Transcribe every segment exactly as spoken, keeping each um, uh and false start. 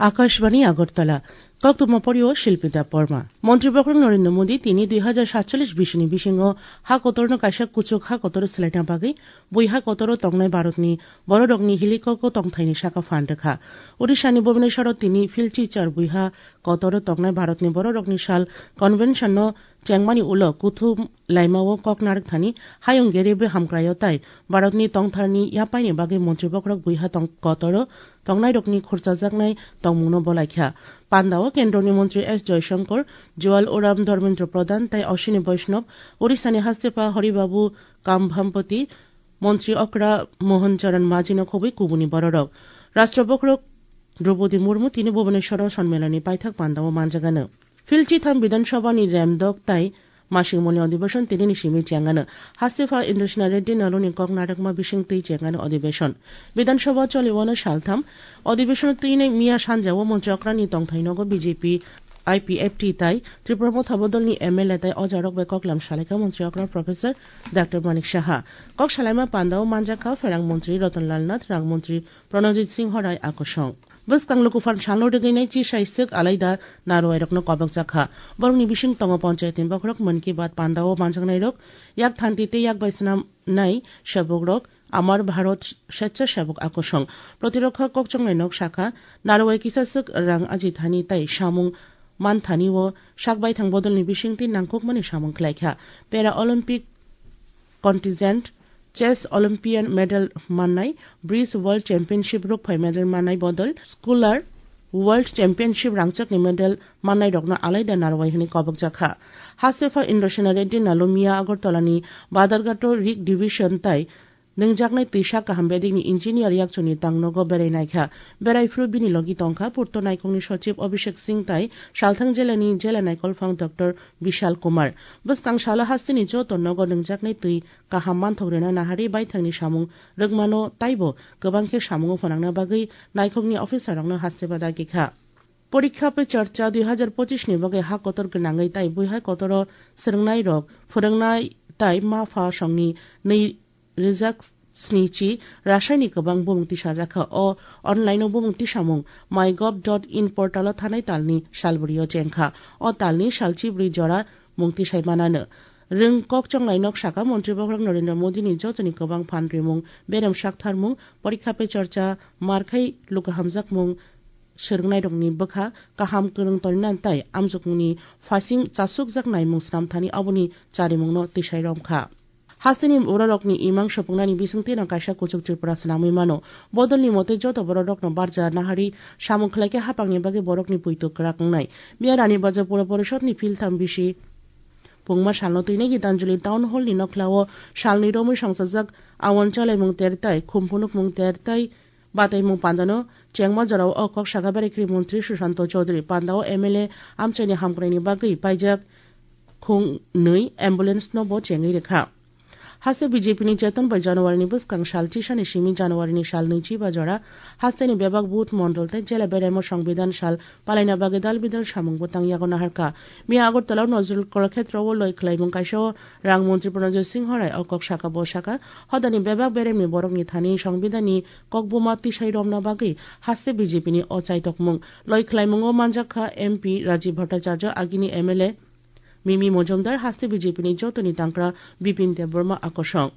Akashbani Agartala, Koktwma Porio Shilpi Debbarma. Montri Bokhorok Narendra Modi tini dui hajar satcholish bisini bisingo ha kotorno kaisa kuchuk ha kotor swlaina bagwi bui ha kotoro tongnai Bharatni bororokni helicopter tongthaini saka phan rwkha. Odishani Bhubaneswaro tini Philchi char bui ha kotoro tongnai Bharatni bororokni sal convention no chengmani ulo kuthum laimao kok narwkthani hayung gerebe hamkraio tai Bharatni tongtharni yapaini bagwi montri bokhorok buiha tong-, kotoro tongnairokni khurchajaknai tongmungno bolaikha. Pandao kendroni montri S Jaishankar, Jual Oram Dharmendra Pradhan tai Ashwini Vaishnav, Odishani hastepha Hari Babu Kambhampati, montri okra Mohan Charan Majhino khobwi kubuni bororok. Rashtra bokhorok Droupadi Murmu tini Bhubaneswaro sonmeloni paithak pandao manjagano. Philchi tham Bidhan Sabhani remdok tai masingmoni odhibeshon tinini simi chengano. Hastepha Indrasena Reddy Naluni kok narwkma bising twi chengano odhibeshon. Bidhan Sabha choliwano saltham odhibeshon twinai miya sanjao montri okrani tongthai nogo B J P, I P F T tai Tripura Motha bodolni M L A tai ojarok bai koklam salaikha montri okra Professor Doctor Manik Saha. Kok salaima pandao manjakha pherang montri Ratan Lal Nath, rang montri Pranojit Singh Rai akosong. Bwskang lukuphan salno rwgwinai chisaiswk alaida narwairokno kobokjakha. Borokni bising tongo panchayatni bokhorok Mann Ki Baat pandao manjaknairok, yak thanti tei yak bai swnamnai sebukrok, Amar Bharat Swechhasebok Akosong. Protirokha kokchongnai nok sakha, narwai kisaswk rang ajithani tai samung manthani o sak baithang bodolni bisingtwi nangkukmani samung khlaikha. Para Olympic contingent, Chess Olympian medal mannai, Bridge World Championship rukphai medal mannai bodol, Sculler World Championship rangchakni medal mannairokno alaida narwai hwnwi kobokjakha. Hastepha Indrasena Reddy Nalu miya Agartalani Badharghato Rig Division tai nwngjaknai twisa kaham bedekni engineer yakchuni tangnogo berai naikha. Berai phuru bini logi tongkha Purto Naikongni Sochib Abhishek Singh tai Salthang jilani jila naikolphang Doctor Bishal Kumar. Bwskang salo hasteni joto nogo nwngjaknai twi kaham manthok rwna naharwi baithangni samung rwkmano taibo kwbang khe samungo phnangna bagwi naikhokni officerrokno haste ba dagi kha. Porikha Pe Charcha dui hajar pochish ni bagwi ha kotor gwnangwi tai buihai kotoro swrwngnairok, phwrwngnai tai ma pha songni nwi rijak snichi rasaini kwbang bumung tisajakha. O online-o bumung tisamung mygov dot in portal-o thanai talni salbrio chengkha. O talni salchibrwi jora mung tisai manano. Rwng kok chonglai nok saka montri bokhorok Narendra Modi-ni jotoni kwbang phan rimung, berem saktharmung, porikha pe chorcha, markhai lukahamjakmung, swrwngnairokni bwkha kaham kwrwng toninan tai amjokmungni phasing chasukjak naimung swnamthani aboni charimungno tisai romkha. Hasteni bororokni imang sopungnani bisingtwino kaisa kuchuk Tripura swnamwi mano. Bodolni mote joto bororokno barja naharwi samung khlaikhe hapangni bagwi borokni puitu kwrak wngnai. Miya Rani Bazar Pura Porishodni philtham bisi pungma salno twinai Gitanjali Town Hallni nokhlao salni romwi songchajak awon chalaimung ter tai khum phunukmung ter tai bataimung pandano chengma jorao o kok saka berai kri montri Susanto Chaudhary pandao M L A amchaini hamkraini bagwi paijak khung nwi ambulance no bo chengwi rwkha. Haste B J P ni Cheton bai January ni bwskang sal chisani simi January ni sal nwichi ba jora hasteni bebak booth mondol tei jela beraimo Songbidan sal palaina bagwi dal bidal samung bo tang yago naharkha. Miya Agartala o Nazrul Kalakhetra o loi khwlaimung kaisa o rang montri Pranojit Singh Rai o kok saka bo saka hodani bebak beremni borokni thani Songbidan ni kokbuma tisai romna bagwi haste B J P ni o chaitokmung loi khwlaimungo manjakha M P Rajiv Bhattacharya agini M L A Mimi Mojumdar haste B J P ni jotoni tangkra Bipin Debbarma akosong.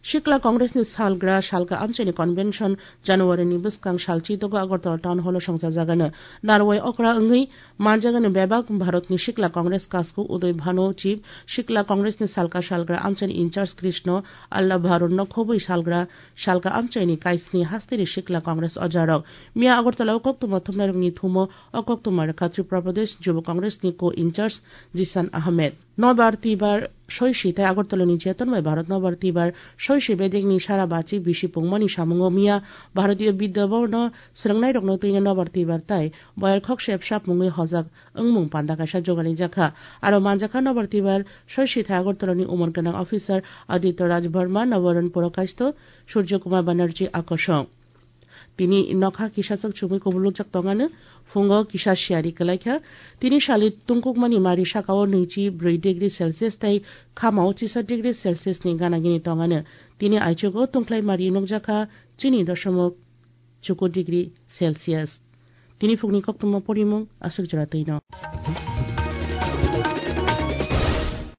Sikla Congress ni salgra salka amchaini convention January ni bwskang sal chitogo Agartala Town Hall o songchajagano. Narwai okra wngwi manjagano bebak Bharat ni Sikla Congress kasku Uday Bhanu Chief, Sikla Congress ni salka salgra amchaini in charge Krishna Allah Bharun no khobwi salgra salka amchaini kaisni hasteni Sikla Congress ojarok. Miya Agartala o koktwma thumnairokni thumo o koktwma rwkha Tripura Pradesh Jubo Congress ni co-in charge Jisan Ahmed. Nobar Tibar soisi tai Agartala ni Cheton bai Bharat Nobar Tibar soisi bedekni sara bachi bisi pungmani samungo miya Bharatiya Bidya Bhavan no swrwngnairokno twino Nobar Tibar tai boyar khokse bwsa pungwi hojak wngmung panda kaisa jogalijakha. Aro manjakha Nobar Tibar soisi tai Agartala ni umor gwnang officer Aditya Raj Verma, Nabaran Pura Kaisto, Surjo Kumar Banerjee akosong. Tini nokha kisa sak chumui kubulukjak tongano, phungo kisa siyari kwlaikha. Tini sali tungkukmani mari sakao nwichi bwrwi degree Celsius tei khamao chisa degree Celsius ni gana gini tongano. Tini aichugo tungkhlai mari nukjakha chini dosomok chuku degree Celsius. Tini phukni koktwma porimung aswk jora twino.